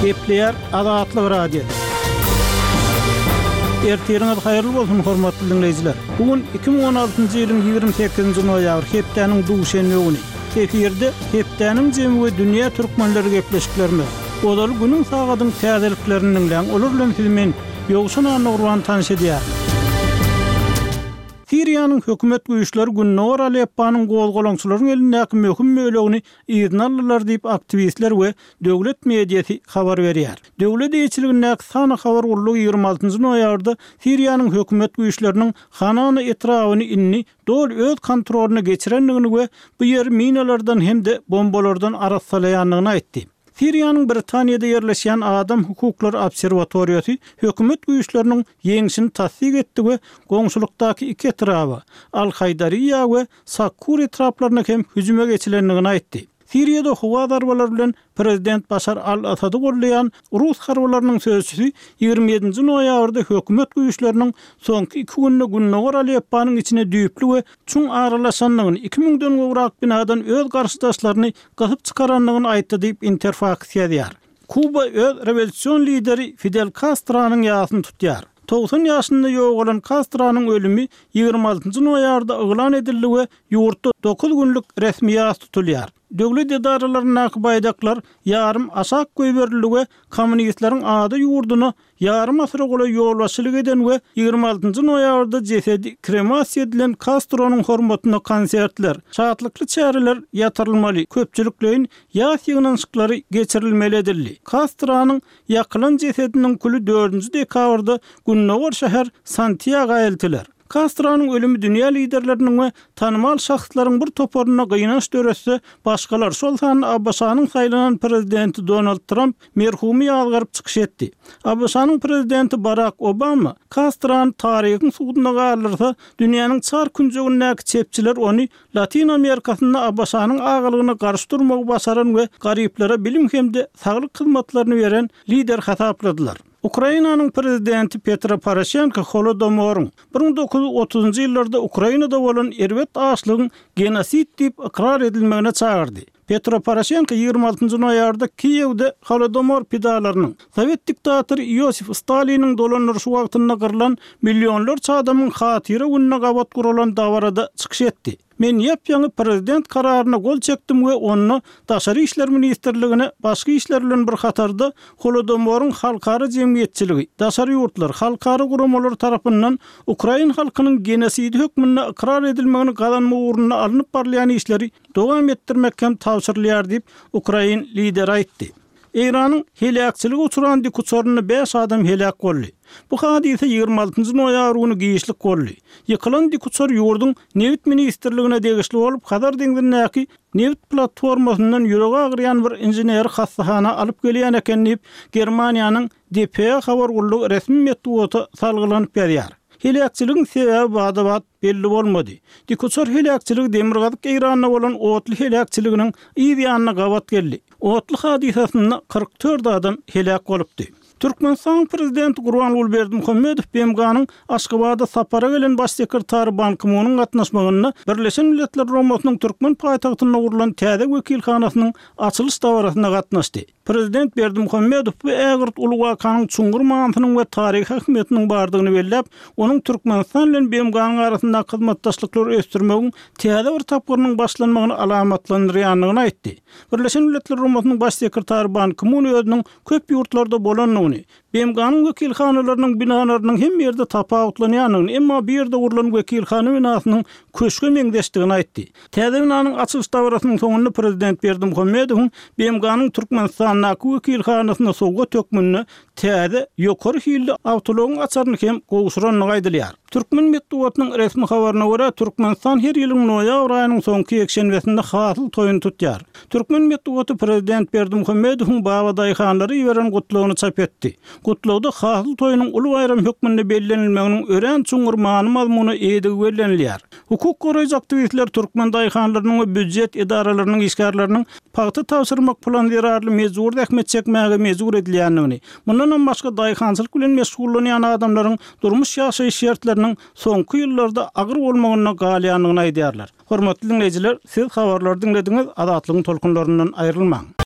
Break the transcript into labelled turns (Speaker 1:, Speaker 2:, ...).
Speaker 1: Gepleýär Azatlyk Radiosy. Ertiriňiz haýyrly bolsun, hormatly diňleýjiler! Bu gün 2016-njy ýylyň 28-nji noýabry, hepdäniň duşenbe güni. Efirde Hepdäniň jemi we dünýä türkmenleri gepleşiklerimiz. Ozaly günüň sagadyň täzeliklerini diňläň, olar bilen sizi men, Ýowşan Annagurban tanyş edýärin. Siriýanyň hökümet güýçleri gündogar Alepponyň gozgalaňçylaryň elindäki möhüm bölegini yzyna aldylar diýip, aktiwistler we döwlet mediasy habar berýär. Döwlet eýeçiligindäki Sana habar gullugy 26 noýabrda Siriýanyň hökümet güýçleriniň Hanana etrabyny indi doly öz kontrolyna geçirendigini we bu ýeri minalardan hem-de bombalardan arassalaýandygyny aýtdy. Siriýanyň Britaniýada ýerleşýän Adam hukuklary obserwatoriýasy hökümet güýçleriniň ýeňşini tassyk etdi we goňşulykdaky iki etraba, Al-Haýdariýa we Sakkur etraplaryna hem hüjüme geçilendigini aýtdy. Siriýada howa zarbalary bilen prezident Başar al-Assady goldaýan rus harbylarynyň sözçüsi 27-nji noýabrda hökümet güýçleriniň soňky iki günde gündogar Alepponyň içine düýpli we çuň aralaşandygyny, iki müňden gowrak binadan öz garşydaşlaryny gysyp çykarandygyny aýtdy diýip, Interfaks ýazýar. Kuba öz rewolýusion lideri Fidel Kastronyň ýasyny tutýar. 90 ýaşynda ýogalan Kastronyň ölümi 26 noýabrda yglan edildi we ýurtda dokuz günlük resmi ýas tutulýar. Döwlet edaralaryndaky baýdaklar ýarym aşak goýberildi we kommunistleriň ada ýurduna Ýarym asyra golaý ýolbaşçylyk eden we 26 noýabrda jesedi kremasiýa edilen Kastronyň hormatyna konsertler, şatlykly çäreler ýatyrylmaly, köpçülikleýin ýas ýygnanyşyklary geçirilmeli edildi. Kastronyň ýakylan jesediniň küli dördünji dekabrda gündogar şäher Santýaga eltiler. Kastronyň ölümi dünýä liderleriniň we tanymal şahslaryň bir toparynda gynanç döretse, başgalar, şol sanda ABŞ-nyň saýlanan prezidenti Donald Tramp merhumy ýazgaryp çykyş etdi. ABŞ-nyň prezidenti Barak Obama Kastrony taryhyň suduna galdyrsa, dünýäniň çar künjegindäki çepçiler ony Latyn Amerikasynda ABŞ-nyň agalygyna garşy durmagy başaran we garyplara bilim hem-de saglyk hyzmatlaryny beren lider hasapladylar. Ukrainanyň prezidenti Petro Poroşenko Holodomoryň, 1930-njy ýyllarda Ukrainada bolan erbet açlygyň genosid diýip ykrar edilmegine çagyrdy. Petro Poroşenko 26 noýabrda Kiýewde Holodomor pidalarynyň, sowet diktatory Iosif Staliniň dolandyryşy wagtynda gyrlan millionlarça adamyň hatyra gününe gabat guralan dabarada çykyş etdi. Men ýap-ýaňy prezident kararyna gol çekdim we onda Daşary işler ministrligine başga işler bilen bir hatarda Holodomoryň halkara jemgyýetçiligi, daşary ýurtlar, halkara guramalary tarapyndan ukrain halkynyň genosidi hökmünde ykrar edilmegini gazanmak ugrunda alnyp barylýan işleri dowam etdirmek hem tabşyrylýar diýip, ukrain lideri aýtdy. Eýranyň heläkçilige uçran dikuçarynda bäş adam heläk boldy. Bu hadysa 26 noýabr güni giçlik boldy. Ýykylan dikuçar ýurduň Nebit ministrligine degişli bolup, Hazar deňzindäki nebit platformasyndan ýüregi agyrýan bir inženeri hassahana alyp gelýän eken diýip, Germaniýanyň dpa habar gullugy resmi metbugata salgylanyp ýazýar. Heläkçiligiň sebäbi bada-bat belli bolmady. Dikuçar heläkçiligi demirgazyk Eýranda bolan otly heläkçiliginiň yz ýanyna gabat geldi. Otly hadysasynda 44 adam heläk bolupdy. Türkmenistanyň Prezidenti Gurbanguly Berdimuhamedow BMG-niň Aşgabada sapara gelen Baş sekretary Ban Ki-munyň gatnaşmagynda Birleşen Milletler Guramasynyň türkmen paýtagtynda gurlan täze wekilhanasynyň açylyş dabarasyna gatnaşdy. Prezident Berdimuhamedow bu ägirt uly wakanyň çuňňur manysynyň we taryhy ähmiýetiniň bardygyny belläp, onuň Türkmenistan bilen BMG-niň arasyndaky hyzmatdaşlyklary ösdürmegiň täze bir tapgyrynyň başlanmagyny alamatlandyrýandygyny aýtdy. Birleşen Milletler Guramasynyň Baş sekretary Ban Ki-mun özüniň köp ýurtlarda bolandygyny, BMG-niň wekilhanalarynyň binalarynyň hemme ýerde tapawutlanýandygyny, emma bu ýerde gurlan wekilhana binasynyň köşge meňzeşdigini aýtdy. Täze binanyň açylyş dabarasynyň soňunda prezident Berdimuhamedowyň BMG-niň Türkmenistandaky wekilhanasyna sowgat hökmünde täze, ýokary hilli awtoulagyň açaryny hem gowşurandygy aýdylýar. Türkmen metbugatynyň resmi habaryna görä, Türkmenistan her ýylyň noýabr aýynyň soňky ýekşenbesinde hasyl toýuny tutýar. Türkmen metbugaty prezident Berdimuhamedowyň babadaýhanlara iberen gutlagyny çap etdi. Gutlagda hasyl toýunyň uly baýram hökmünde bellenilmeginiň örän çuňňur many-mazmuna eýedigi bellenilýär. Hukuk goraýjy aktiwistler türkmen daýhanlarynyň we býujet edaralarynyň işgärleriniň pagta tabşyrmak plany zerarly mejbury zähmet çekmäge mejbur edilýändigini, mundanam başga daýhançylyk bilen meşgullanýan adamlaryň durmuş-ýaşaýyş şertleriniň soňky ýyllarda agyr bolmagynda galýandygyny aýdýarlar. Hormatly diňleýjiler, siz habarlary diňlediňiz, Azatlygyň tolkunlaryndan aýrylmaň!